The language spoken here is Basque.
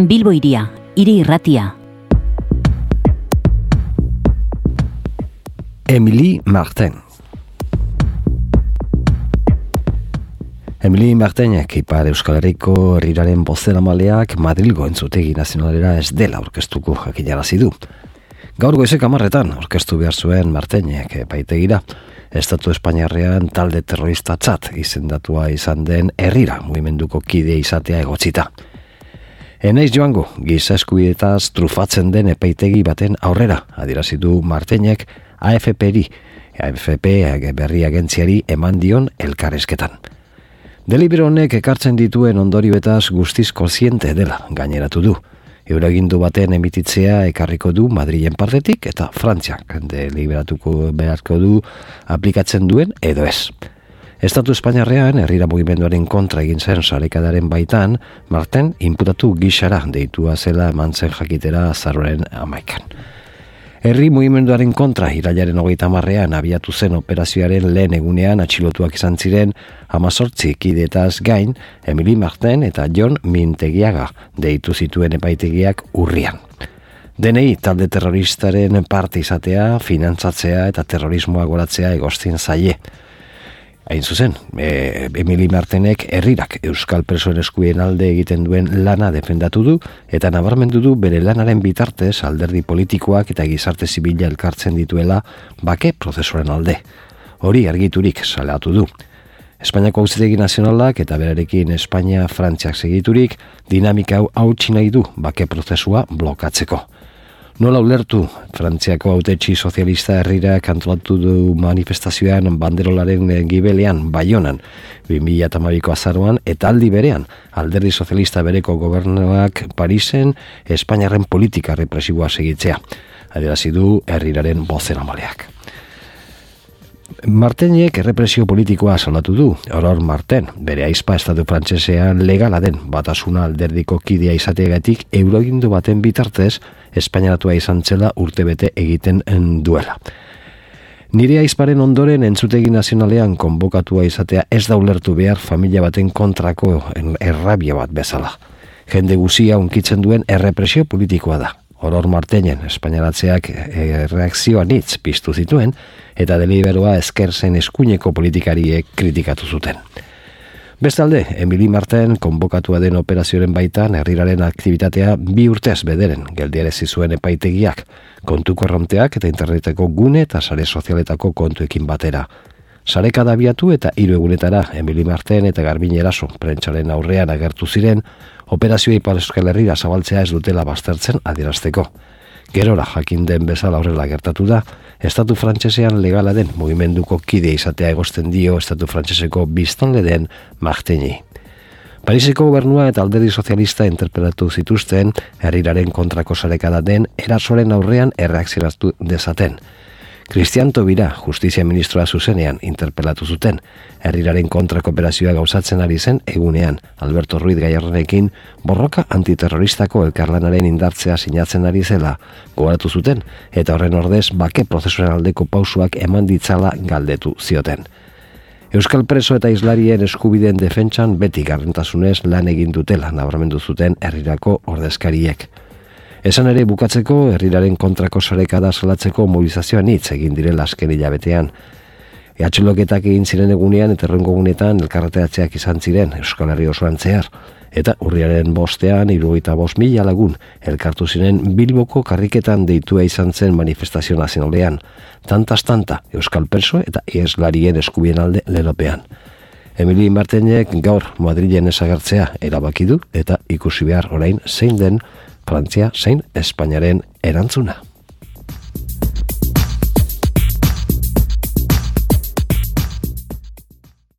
Bilbo Hiria, hiri irratia. Émilie Martin. Émilie Martinek Ipar Euskal Herriko herriraren bozeramaleak Madrilgo Entzutegi Nazionalera ez dela aurkeztuko jakinarazi du. Gaur goizek 10:00 aurkeztu behar zuen Martinek epaitegira, Estatu Espainiarrean talde terroristatzat izendatua izan den herrira mugimenduko kide izatea egotzita. Enaiz joango, giza eskubietaz trufatzen den epaitegi baten aurrera, adierazi du Martinek AFP berri agentziari eman dion elkarrizketan. Delibero honek ekartzen dituen ondorioetaz guztiz kontziente dela gaineratu du. Euroagindu baten emititzea ekarriko du Madrilen partetik eta Frantziak deliberatuko beharko du aplikatzen duen edo ez. Estatu Espainiarrean herrira mugimenduaren kontra egin zen sarekadaren baitan, Martin inputatu gixara deitua zela eman zen jakitera azaroaren 11. Herri mugimenduaren kontra irailaren 30 abiatu zen operazioaren lehen egunean atxilotuak izan ziren 18 kidetaz gain, Émilie Martin eta Jon Mintegiaga deitu zituen epaitegiak urrian. Denei talde terroristaren parte izatea, finantzatzea eta terrorismoa goratzea egozten zaie. Hain zuzen, Émilie Martinek herrirak euskal presoen eskubien alde egiten duen lana defendatu du eta nabarmendu du bere lanaren bitartez alderdi politikoak eta gizarte zibila elkartzen dituela bake prozesuaren alde. Hori argiturik salatu du. Espainiako Auzitegi Nazionalak eta berarekin Espainia-Frantziak segiturik dinamika hau hautsi nahi du bake prozesua blokatzeko. Nola ulertu, Frantziako hautetsi sozialista herrirak antolatu du manifestazioan banderolaren gibelean Baionan 2012ko azaroan eta aldi berean alderdi sozialista bereko gobernuak Parisen Espainiarren politika represiboa segitzea. Adierazi du herriraren bozeramaleak. Martinek errepresio politikoa salatu du. Aurore Martin, bere aizpa estatu frantsesean legala den batasuna alderdiko kidea izateagatik euroagindu baten bitartez espainiaratua izan zela urtebete egiten duela. Nire aizparen ondoren Entzutegi Nazionalean konbokatua izatea ez da ulertu behar familia baten kontrako errabia bat bezala. Jende guzia unkitzen duen errepresio politikoa da. Aurore Martinen espainiaratzeak reakzioan hitz piztu zituen eta deliberoa esker zen eskuineko politikariek kritikatu zuten. Bestalde, Émilie Martin konbokatua den operazioaren baitan herriraren aktibitatea 2 urtez bederen geldiarazi zuen epaitegiak, kontu korronteak eta interneteko gune eta sare sozialetako kontuekin batera. Sarekada abiatu eta 3 egunetara Émilie Martin eta Garbin Eraso prentsaren aurrean agertu ziren operazioa Ipar Euskal Herrira zabaltzea ez dutela baztertzen adierazteko. Gerora jakin den bezala horrela gertatu da, Estatu Frantsesean legala den mugimenduko kide izatea egozten dio Estatu Frantseseko biztanle den Martini. Pariseko gobernua eta alderdi sozialista interpelatu zituzten herriraren kontrako sarekada den erasoren aurrean erreakzionatu dezaten. Cristian Tobira, justizia ministroa zuzenean interpelatu zuten, herriraren kontrako operazioa gauzatzen ari zen egunean, Alberto Ruiz Gallardonekin borroka antiterroristako elkarlanaren indartzea sinatzen ari zela, gogoratu zuten, eta horren ordez bake prozesuaren aldeko pausuak eman ditzala galdetu zioten. Euskal preso eta islarien eskubideen defentsan beti gardentasunez lan egin dutela nabarmendu zuten herrirako ordezkariek. Esan ere bukatzeko herriraren kontrako sarekada salatzeko mobilizazioan hitz egin direla azken hilabetean. Atxiloketak egin ziren egunean eta errengo egunetan elkarreteatzeak izan ziren Euskal Herri osoan zehar. Eta urriaren 5ean 75.000 lagun elkartu ziren Bilboko karriketan deitua izan zen manifestazio nazionalean. Tantaz tanta Euskal preso eta iheslarien eskubien alde lelopean. Émilie Martinek gaur Madrilen ezagertzea erabaki du eta ikusi behar orain zein den Frantzia zein Espainiaren erantzuna.